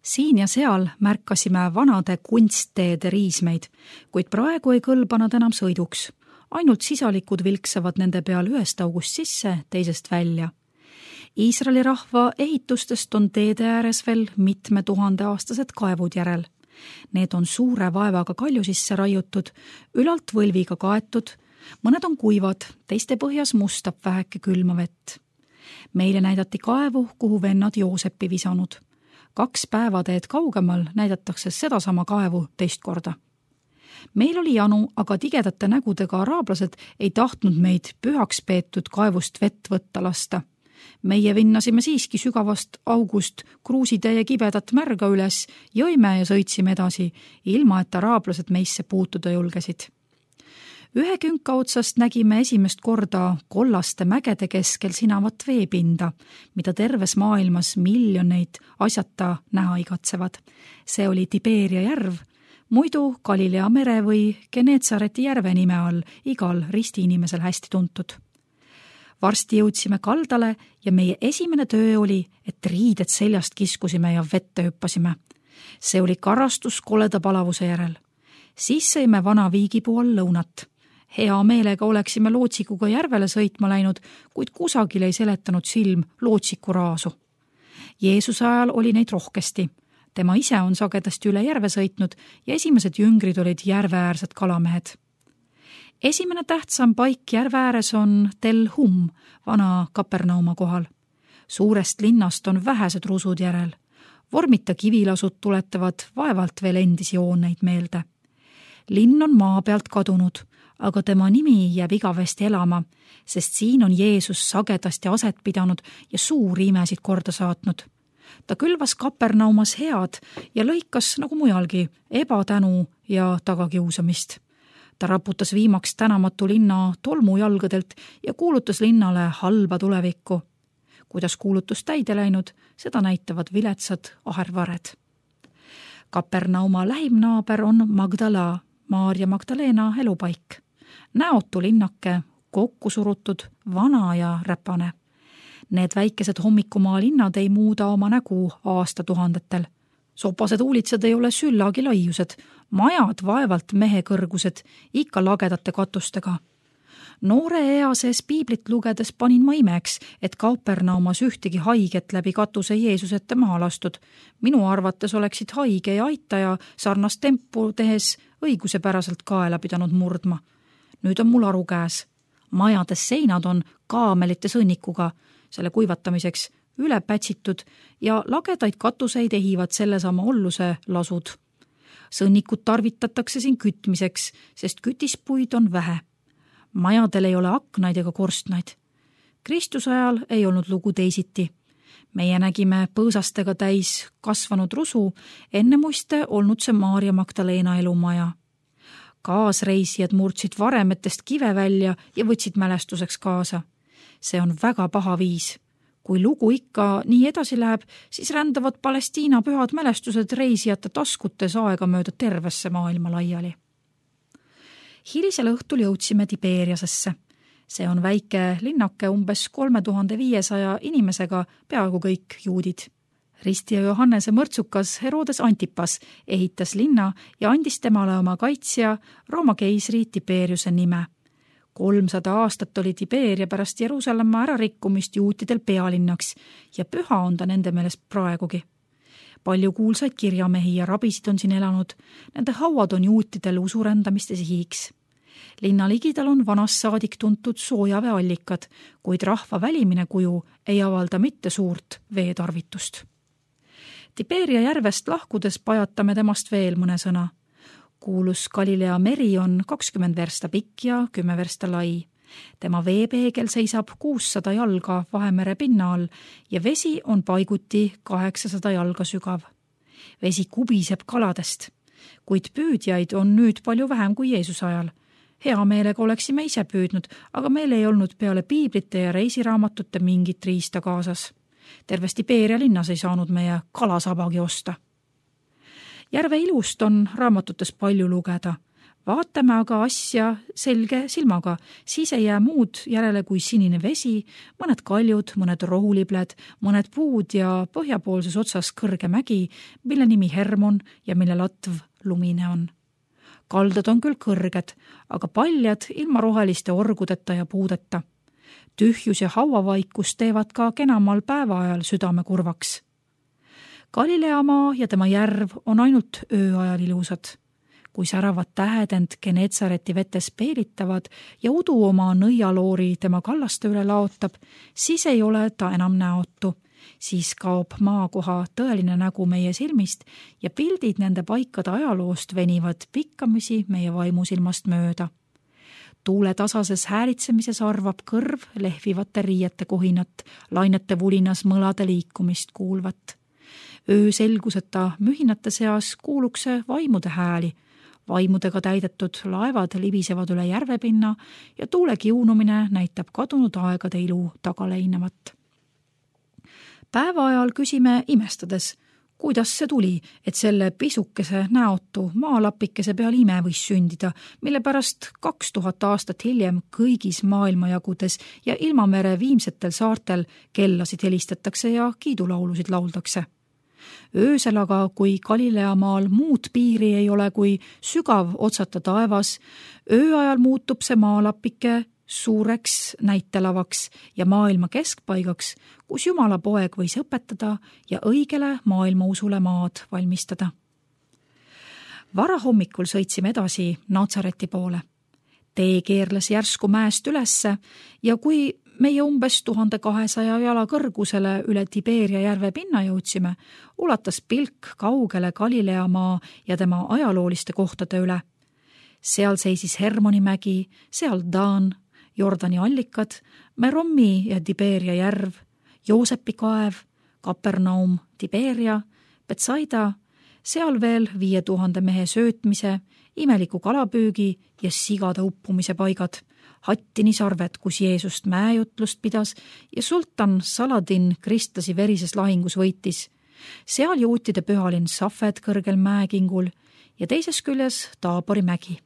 Siin ja seal märkasime vanade kunstteede riismeid, kuid praegu ei kõlba nad enam sõiduks. Ainult sisalikud vilksavad nende peal ühest august sisse, teisest välja. Iisraeli rahva ehitustest on teede ääres veel mitme 1000-aastased kaevud järel. Need on suure vaevaga kalju sisse raiutud, ülalt võlviga kaetud, mõned on kuivad, teiste põhjas mustab väheke külma vett. Meile näidati kaevu, kuhu vennad Jooseppi visanud. 2 päevateed kaugemal näidatakse sedasama kaevu teist korda. Meil oli janu, aga tigedate nägudega araablased ei tahtnud meid pühaks peetud kaevust vett võtta lasta. Meie vinnasime siiski sügavast august kruusitäie kibedat märga üles, jõime ja sõitsime edasi, ilma et araablased meisse puutuda julgesid. Ühe künka otsast nägime esimest korda kollaste mägede keskel sinavat veepinda, mida terves maailmas miljoneid asjata näha igatsevad. See oli Tiberia järv, muidu Galilea mere või Geneetsareti järve nime all igal ristiinimesel hästi tuntud. Varsti jõudsime kaldale ja meie esimene töö oli, et riided seljast kiskusime ja vette hüppasime. See oli karastus koleda palavuse järel. Siis sõime vana viigipuu all lõunat. Hea meelega oleksime lootsikuga järvele sõitma läinud, kuid kusagil ei seletanud silm lootsiku raasu. Jeesuse ajal oli neid rohkesti. Tema ise on sagedasti üle järve sõitnud ja esimesed jüngrid olid järveäärsed kalamehed. Esimene tähtsam paik järve ääres on Tel Hum, vana Kapernauma kohal. Suurest linnast on vähesed rusud järel. Vormita kivilasud tuletavad vaevalt veel endisi jooneid meelde. Linn on maa pealt kadunud, aga tema nimi jääb igavesti elama, sest siin on Jeesus sagedasti aset pidanud ja suuri imesid korda saatnud. Ta külvas Kapernaumas head ja lõikas, nagu mujalgi, ebatänu ja tagakiusamist. Ta raputas viimaks tänamatu linna tolmujalgadelt ja kuulutas linnale halba tulevikku. Kuidas kuulutus täide läinud, seda näitavad viletsad ahervared. Kapernauma lähimnaaber on Magdala, Maarja Magdalena elupaik. Näotu linnake, kokku surutud, vana ja räpane. Need väikesed hommikumaa linnad ei muuda oma nägu aastatuhandetel. Sopased uulitsad ei ole süllagi laiused, majad vaevalt mehe kõrgused, ikka lagedate katustega. Noore ea sees piiblit lugedes panin ma imeks, et Kapernaumas ühtegi haiget läbi katuse Jeesusette maha lastud. Minu arvates oleksid haige ja aitaja sarnast tempu tehes õigusepäraselt kaela pidanud murdma. Nüüd on mul aru käes. Majades seinad on kaamelite sõnnikuga, selle kuivatamiseks üle pätsitud ja lagedaid katuseid ehivad sellesama olluse lasud. Sõnnikud tarvitatakse siin kütmiseks, sest kütispuid on vähe. Majadel ei ole aknaid ega korstnaid. Kristuse ajal ei olnud lugu teisiti. Meie nägime põõsastega täis kasvanud rusu, enne muiste olnud see Maarja Magdalena elumaja. Kaasreisijad murdsid varemetest kive välja ja võtsid mälestuseks kaasa. See on väga paha viis. Kui lugu ikka nii edasi läheb, siis rändavad Palestiina pühad mälestused reisijate taskutes aega mööda tervesse maailma laiali. Hilisel õhtul jõudsime Tiberiasesse. See on väike linnake umbes 3500 inimesega, peaaegu kõik juudid. Ristija Johannese mõrtsukas Herodes Antipas ehitas linna ja andis temale oma kaitsja Rooma keisri Tiberiuse nime. 300 aastat oli Tiberia pärast Jeruusalemma ärarikkumist juutidel pealinnaks ja püha on ta nende meelest praegugi. Palju kuulsaid kirjamehi ja rabisid on siin elanud, nende hauad on juutidel usurändamiste sihiks. Linna ligidal on vanast saadik tuntud soojaveeallikad, kuid rahva välimine kuju ei avalda mitte suurt veetarvitust. Tiberia järvest lahkudes pajatame temast veel mõne sõna. Kuulus Galilea meri on 20 versta pikk ja 10 versta lai. Tema veepeegel seisab 600 jalga Vahemere pinna all ja vesi on paiguti 800 jalga sügav. Vesi kubiseb kaladest, kuid püüdjaid on nüüd palju vähem kui Jeesuse ajal. Hea meelega oleksime ise püüdnud, aga meil ei olnud peale piiblite ja reisiraamatute mingit riista kaasas. Terves Tiberia linnas ei saanud meie kalasabagi osta. Järve ilust on raamatutes palju lugeda. Vaatame aga asja selge silmaga, siis ei jää muud järele kui sinine vesi, mõned kaljud, mõned rohulibled, mõned puud ja põhjapoolses otsas kõrge mägi, mille nimi Hermon ja mille latv lumine on. Kaldad on küll kõrged, aga paljad ilma roheliste orgudeta ja puudeta. Tühjus ja hauavaikus teevad ka kenamal päevaajal südame kurvaks. Galileamaa ja tema järv on ainult ööajal ilusad. Kui säravad tähed end Genetsareti vetes peelitavad ja udu oma nõialoori tema kallaste üle laotab, siis ei ole ta enam näotu. Siis kaob maakoha tõeline nägu meie silmist ja pildid nende paikade ajaloost venivad pikkamisi meie vaimusilmast mööda. Tuule tasases häälitsemises arvab kõrv lehvivate riiete kohinat, lainete vulinas mõlade liikumist kuulvat. Öö selguseta mühinate seas kuulukse vaimude hääli. Vaimudega täidetud laevad libisevad üle järvepinna ja tuule kiunumine näitab kadunud aegade ilu tagaleinevat. Päevaajal küsime imestades, kuidas see tuli, et selle pisukese näotu maalapikese peal ime võis sündida, mille pärast 2000 aastat hiljem kõigis maailmajagudes ja ilmamere viimsetel saartel kellasid helistatakse ja kiidulaulusid lauldakse. Öösel aga, kui Galileamaal muud piiri ei ole kui sügav otsata taevas, ööajal muutub see maalapike suureks näitelavaks ja maailma keskpaigaks, kus Jumala poeg võis õpetada ja õigele maailmausule maad valmistada. Varahommikul sõitsime edasi Natsareti poole. Tee keerles järsku mäest ülesse ja kui meie umbes 1200 jala kõrgusele üle Tiberia järve pinna jõudsime, ulatas pilk kaugele Galileamaa ja tema ajalooliste kohtade üle. Seal seisis Hermoni mägi, seal Daan, Jordani allikad, Merommi ja Tiberia järv, Joosepi kaev, Kapernaum, Tiberia, Betsaida, seal veel 5000 mehe söötmise, imeliku kalapüügi ja sigade uppumise paigad, Hattini sarved, kus Jeesust mäejutlust pidas ja sultan Saladin kristlasi verises lahingus võitis. Seal juutide pühalinn Safed kõrgel mäekingul ja teises küljes Taabori mägi.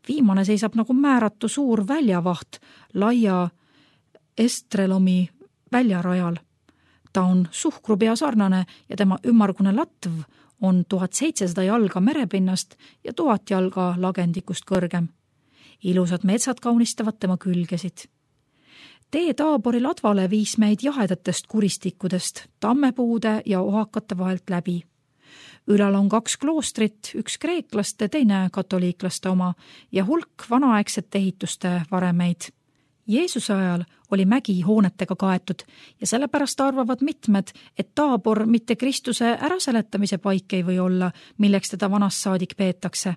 Viimane seisab nagu määratu suur väljavaht laia Estrelomi väljarajal. Ta on suhkrupea sarnane ja tema ümmargune latv on 1700 jalga merepinnast ja 1000 jalga lagendikust kõrgem. Ilusad metsad kaunistavad tema külgesid. Tee Taabori ladvale viis meid jahedatest kuristikkudest, tammepuude ja ohakate vahelt läbi. Ülal on 2 kloostrit, üks kreeklaste, teine katoliiklaste oma ja hulk vanaaegsete ehituste varemeid. Jeesuse ajal oli mägi hoonetega kaetud ja sellepärast arvavad mitmed, et Taabor mitte Kristuse äraseletamise paik ei või olla, milleks teda vanast saadik peetakse.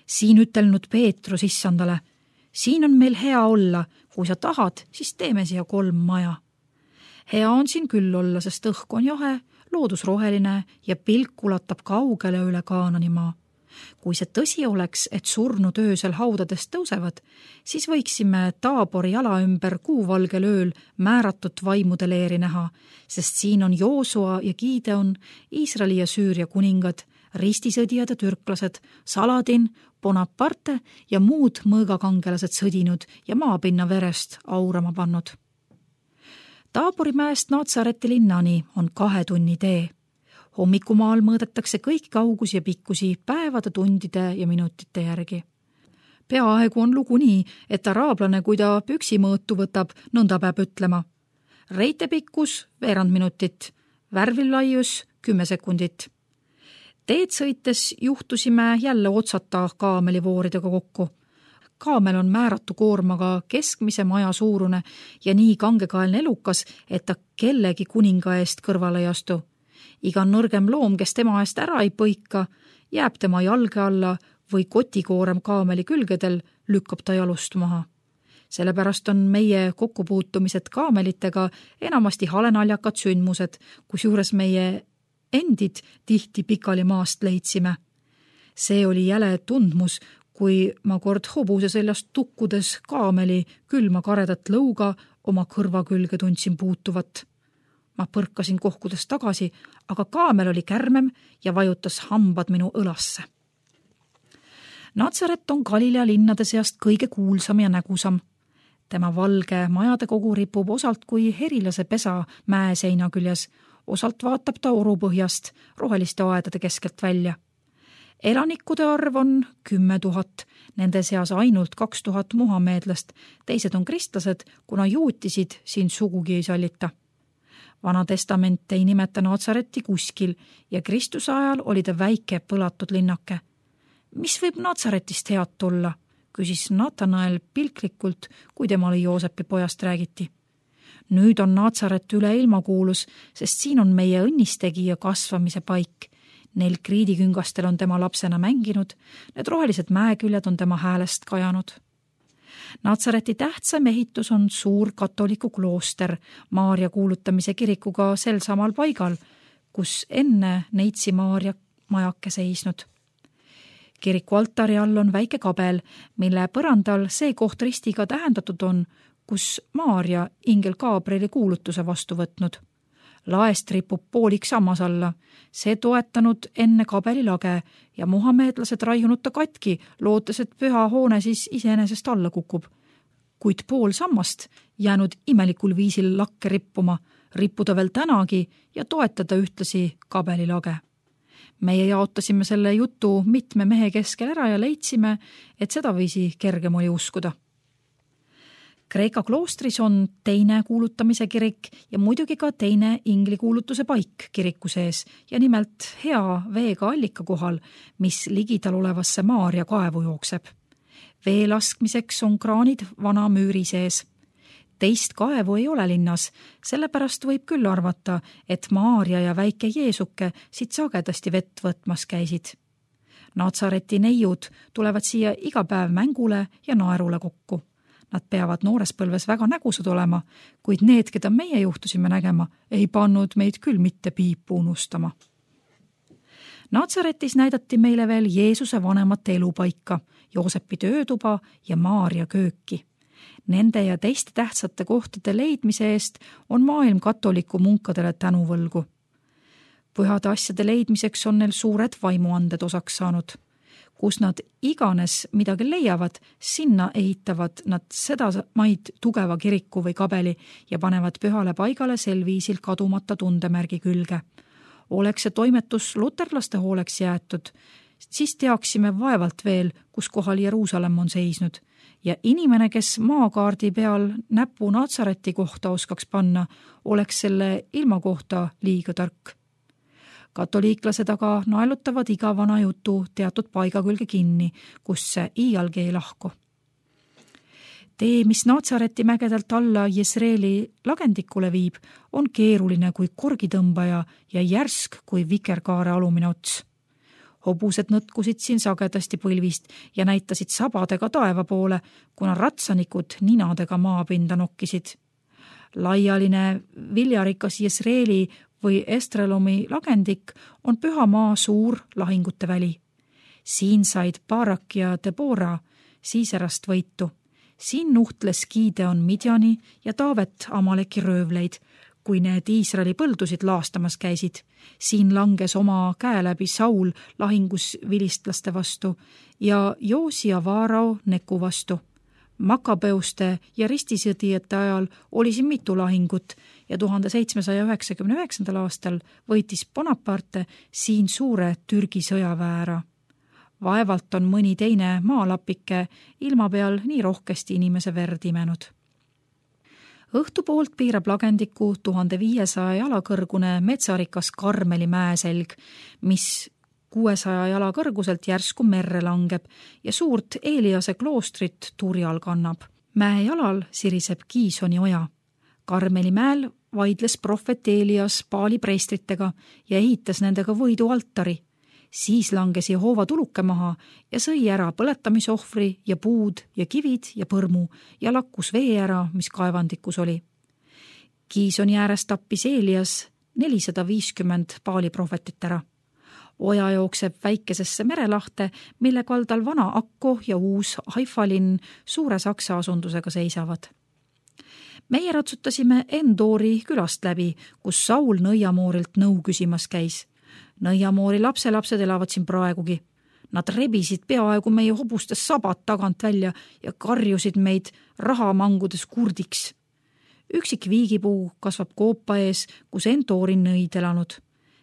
Siin ütelnud Peetrus issandale, siin on meil hea olla, kui sa tahad, siis teeme siia 3 maja. Hea on siin küll olla, sest õhk on jahe, loodus roheline ja pilk ulatab kaugele üle Kaananimaa. Kui see tõsi oleks, et surnud öösel haudadest tõusevad, siis võiksime Taabori jala ümber kuuvalgel ööl määratud vaimude leeri näha, sest siin on Joosua ja Gideon, Iisraeli ja Süüria kuningad, ristisõdijad ja türklased, Saladin, Bonaparte ja muud mõõgakangelased sõdinud ja maapinna verest aurama pannud. Taabori mäest Natsareti linnani on 2 tunni tee. Hommikumaal mõõdetakse kõik kaugusi ja pikkusi päevade, tundide ja minutite järgi. Peaaegu on lugu nii, et araablane, kui ta püksimõõtu võtab, nõnda peab ütlema. Reitepikkus veerand minutit, värvillaius 10 sekundit. Teed sõites juhtusime jälle otsata kaamelivooridega kokku. Kaamel on määratu koormaga keskmise maja suurune ja nii kangekaelne elukas, et ta kellegi kuninga eest kõrvale ei astu. Iga nõrgem loom, kes tema eest ära ei põika, jääb tema jalge alla või kotikoorem kaameli külgedel, lükkab ta jalust maha. Sellepärast on meie kokkupuutumised kaamelitega enamasti halenaljakad sündmused, kusjuures meie endid tihti pikali maast leidsime. See oli jäle tundmus, kui ma kord hobuse seljast tukkudes kaameli külma karedat lõuga oma kõrva külge tundsin puutuvat. Ma põrkasin kohkudes tagasi, aga kaamel oli kärmem ja vajutas hambad minu õlasse. Natsaret on Galilea linnade seast kõige kuulsam ja nägusam. Tema valge majade kogu ripub osalt kui herilase pesa mäe seina küljes, osalt vaatab ta orupõhjast roheliste aedade keskelt välja. Elanikude arv on 10 000, nende seas ainult 2000 muhameedlast, teised on kristlased, kuna juutisid siin sugugi ei sallita. Vana testament ei nimeta Natsaretti kuskil ja Kristuse ajal oli ta väike põlatud linnake. Mis võib Natsaretist head tulla, küsis Natanael pilklikult, kui temale Joosepi pojast räägiti. Nüüd on Natsaret üle ilmakuulus, sest siin on meie õnnistegija kasvamise paik. Neil kriidiküngastel on tema lapsena mänginud, need rohelised mäeküljed on tema häälest kajanud. Natsareti tähtsam ehitus on suur katoliku klooster Maarja kuulutamise kirikuga sel samal paigal, kus enne Neitsi Maarja majake seisnud. Kiriku altari all on väike kabel, mille põrandal see koht ristiga tähendatud on, kus Maarja ingel Gabrieli kuulutuse vastu võtnud. Laest ripub poolik sammas alla, see toetanud enne kabeli lage ja muhameedlased raiunud ta katki, lootes, et püha hoone siis iseenesest alla kukub. Kuid pool sammast jäänud imelikul viisil lakke rippuma, rippuda veel tänagi ja toetada ühtlasi kabeli lage. Meie jaotasime selle jutu mitme mehe keskel ära ja leidsime, et sedaviisi kergem oli uskuda. Kreeka kloostris on teine kuulutamise kirik ja muidugi ka teine inglikuulutuse paik kiriku sees ja nimelt hea veega allika kohal, mis ligidal olevasse Maarja kaevu jookseb. Vee laskmiseks on kraanid vana müüri sees. Teist kaevu ei ole linnas, sellepärast võib küll arvata, et Maarja ja väike Jeesuke siit sagedasti vett võtmas käisid. Natsareti neiud tulevad siia iga päev mängule ja naerule kokku. Nad peavad noores põlves väga nägusad olema, kuid need, keda meie juhtusime nägema, ei pannud meid küll mitte piipu unustama. Natsaretis näidati meile veel Jeesuse vanemate elupaika, Joosepi töötuba ja Maarja kööki. Nende ja teiste tähtsate kohtade leidmise eest on maailm katoliku munkadele tänuvõlgu. Pühade asjade leidmiseks on neil suured vaimuanded osaks saanud. Kus nad iganes midagi leiavad, sinna ehitavad nad seda maid tugeva kiriku või kabeli ja panevad pühale paigale sel viisil kadumata tundemärgi külge. Oleks see toimetus luterlaste hooleks jäetud, siis teaksime vaevalt veel, kus kohal Jeruusalemm on seisnud. Ja inimene, kes maakaardi peal näpu Natsareti kohta oskaks panna, oleks selle ilma kohta liiga tark. Katoliiklased aga naelutavad iga vana jutu teatud paiga külge kinni, kus see iialgi ei lahku. Tee, mis Natsareti mägedelt alla Jesreeli lagendikule viib, on keeruline kui korgitõmbaja ja järsk kui vikerkaare alumine ots. Hobused nõtkusid siin sagedasti põlvist ja näitasid sabadega taeva poole, kuna ratsanikud ninadega maapinda nokkisid. Laialine viljarikas Jesreeli või Estrelomi lagendik on püha maa suur lahingute väli. Siin said Barak ja Debora Siiserast võitu. Siin nuhtles Gideon Midjani ja Taavet Amaleki röövleid, kui need Iisraeli põldusid laastamas käisid. Siin langes oma käe läbi Saul lahingus vilistlaste vastu ja Joosia Vaarao Neku vastu. Makabeuste ja ristisõdijate ajal oli siin mitu lahingut ja 1799. aastal võitis Bonaparte siin suure Türgi sõjaväe. Vaevalt on mõni teine maalapike ilma peal nii rohkesti inimese verd imenud. Õhtupoolt piirab lagendiku 1500 jala kõrgune metsarikas Karmeli mäeselg, mis 600 jala kõrguselt järsku merre langeb ja suurt Eliase kloostrit turjal kannab. Mäe jalal siriseb Kiisoni oja. Karmeli mäel vaidles prohvet Elias Paali preestritega ja ehitas nendega võidu altari. Siis langes Jehova tuluke maha ja sõi ära põletamisohvri ja puud ja kivid ja põrmu ja lakkus vee ära, mis kaevandikus oli. Kiisoni ääres tappis Elias 450 Paali prohvetit ära. Oja jookseb väikesesse merelahte, mille kaldal vana Akko ja uus Haifalinn suure saksa asundusega seisavad. Meie ratsutasime Endori külast läbi, kus Saul Nõiamoorilt nõu küsimas käis. Nõiamoori lapselapsed elavad siin praegugi. Nad rebisid peaaegu meie hobustes sabad tagant välja ja karjusid meid rahamangudes kurdiks. Üksik viigipuu kasvab koopa ees, kus Endoorin nõid elanud.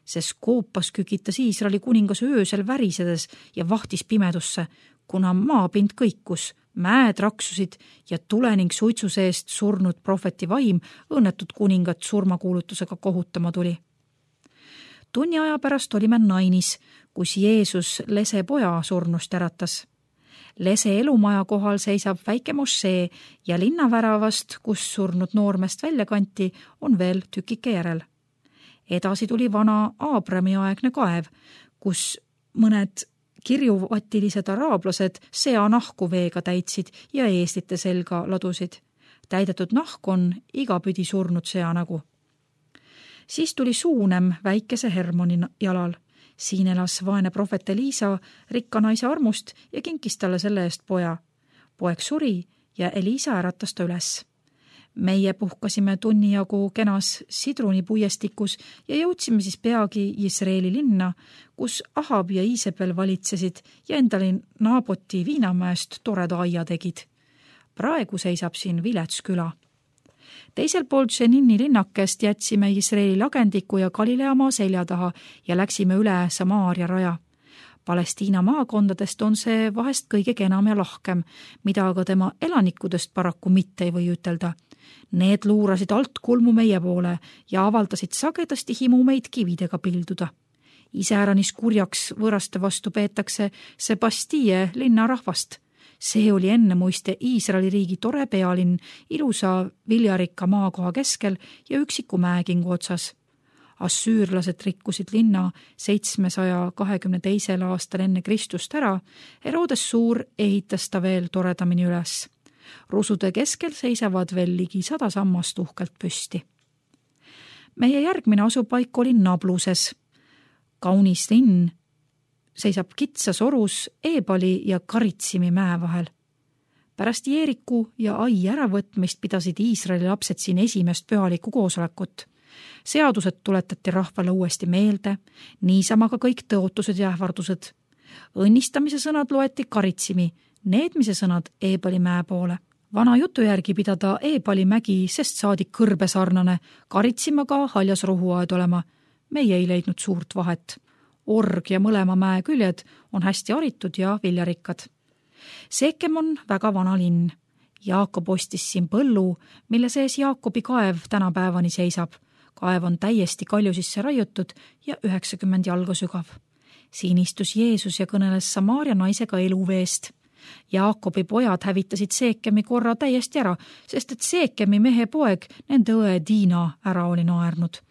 Sest koopas kükitas Iisraeli kuningas öösel värisedes ja vahtis pimedusse, kuna maapind kõikus, mäed raksusid ja tule ning suitsu seest surnud prohveti vaim õnnetud kuningat surmakuulutusega kohutama tuli. Tunni aja pärast olime Nainis, kus Jeesus lese poja surnust äratas. Lese elumaja kohal seisab väike mošee ja linnaväravast, kus surnud noormest välja kanti, on veel tükike järel. Edasi tuli vana Aabrami aegne kaev, kus mõned kirjuvatilised araablased seanahku veega täitsid ja eeslite selga ladusid. Täidetud nahk on igapüdi surnud seanägu. Siis tuli Suunem väikese Hermoni jalal. Siin elas vaene prohvet Eliisa rikka naise armust ja kinkis talle selle eest poja. Poeg suri ja Eliisa äratas ta üles. Meie puhkasime tunni jagu kenas Sidruni puiestikus ja jõudsime siis peagi Iisraeli linna, kus Ahab ja Iisebel valitsesid ja endale Naaboti viinamäest toreda aia tegid. Praegu seisab siin vilets küla. Teisel poolt Šenini linnakest jätsime Iisraeli lagendiku ja Galileamaa selja taha ja läksime üle Samaaria raja. Palestiina maakondadest on see vahest kõige kenam ja lahkem, mida aga tema elanikudest paraku mitte ei või ütelda. Need luurasid alt kulmu meie poole ja avaldasid sagedasti himu meid kividega pilduda. Iseäranis kurjaks võõraste vastu peetakse Sebastie linnarahvast. See oli enne muiste Iisraeli riigi tore pealinn, ilusa viljarikka maakoha keskel ja üksiku mäekingu otsas. Assüürlased rikkusid linna 722. aastal enne Kristust ära, Herodes Suur ehitas ta veel toredamini üles. Rusude keskel seisavad veel ligi 100 sammast uhkelt püsti. Meie järgmine asupaik oli Nabluses. Kaunis linn seisab kitsas orus Eebali ja Karitsimi mäe vahel. Pärast Jeeriku ja Ai äravõtmist pidasid Iisraeli lapsed siin esimest pühalikku koosolekut. Seadused tuletati rahvale uuesti meelde, niisama ka kõik tõotused ja ähvardused. Õnnistamise sõnad loeti Karitsimi, needmise sõnad Eebali mäe poole. Vana jutu järgi pidada Eebali mägi, sest saadik kõrbesarnane, Karitsimaga haljas rohuaed olema. Meie ei leidnud suurt vahet. Org ja mõlema mäe küljed on hästi haritud ja viljarikkad. Seekem on väga vana linn. Jaakob ostis siin põllu, mille sees Jaakobi kaev tänapäevani seisab. Kaev on täiesti kalju sisse raiutud ja 90 jalga sügav. Siin istus Jeesus ja kõneles Samaaria naisega eluveest. Jaakobi pojad hävitasid Seekemi korra täiesti ära, sest et Seekemi mehe poeg nende õe Diina ära oli naernud.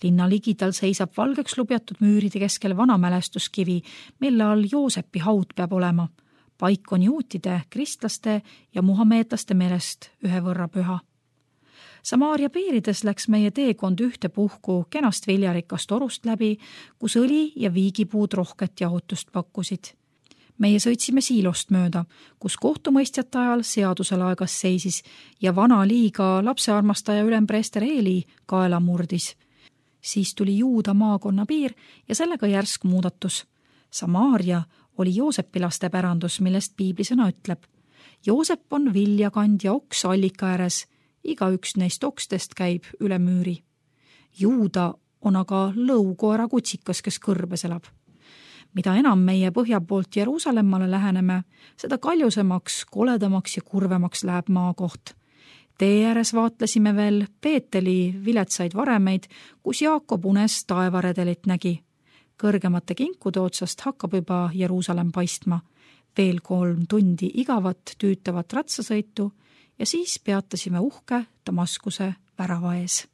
Linna ligidal seisab valgeks lubjatud müüride keskel vana mälestuskivi, mille all Joosepi haud peab olema. Paik on juutide, kristlaste ja muhameetlaste meelest ühe võrra püha. Samaaria piirides läks meie teekond ühte puhku kenast viljarikast orust läbi, kus õli ja viigipuud rohket jahutust pakkusid. Meie sõitsime Siilost mööda, kus kohtumõistjate ajal seadusel aegas seisis ja vana liiga lapsearmastaja ülempreester Eeli kaela murdis. Siis tuli Juuda maakonna piir ja sellega järsk muudatus. Samaaria oli Joosepi laste pärandus, millest piiblisõna ütleb. Joosep on viljakand ja oks allika ääres, igaüks neist okstest käib üle müüri. Juuda on aga lõukoera kutsikas, kes kõrbes elab. Mida enam meie põhja poolt Jeruusalemmale läheneme, seda kaljusemaks, koledamaks ja kurvemaks läheb maakoht. Tee ääres vaatlesime veel Peeteli viletsaid varemeid, kus Jaakob unes taevaredelit nägi. Kõrgemate kinkude otsast hakkab juba Jeruusalemm paistma. Veel 3 tundi igavat tüütavat ratsasõitu ja siis peatasime uhke Damaskuse värava ees.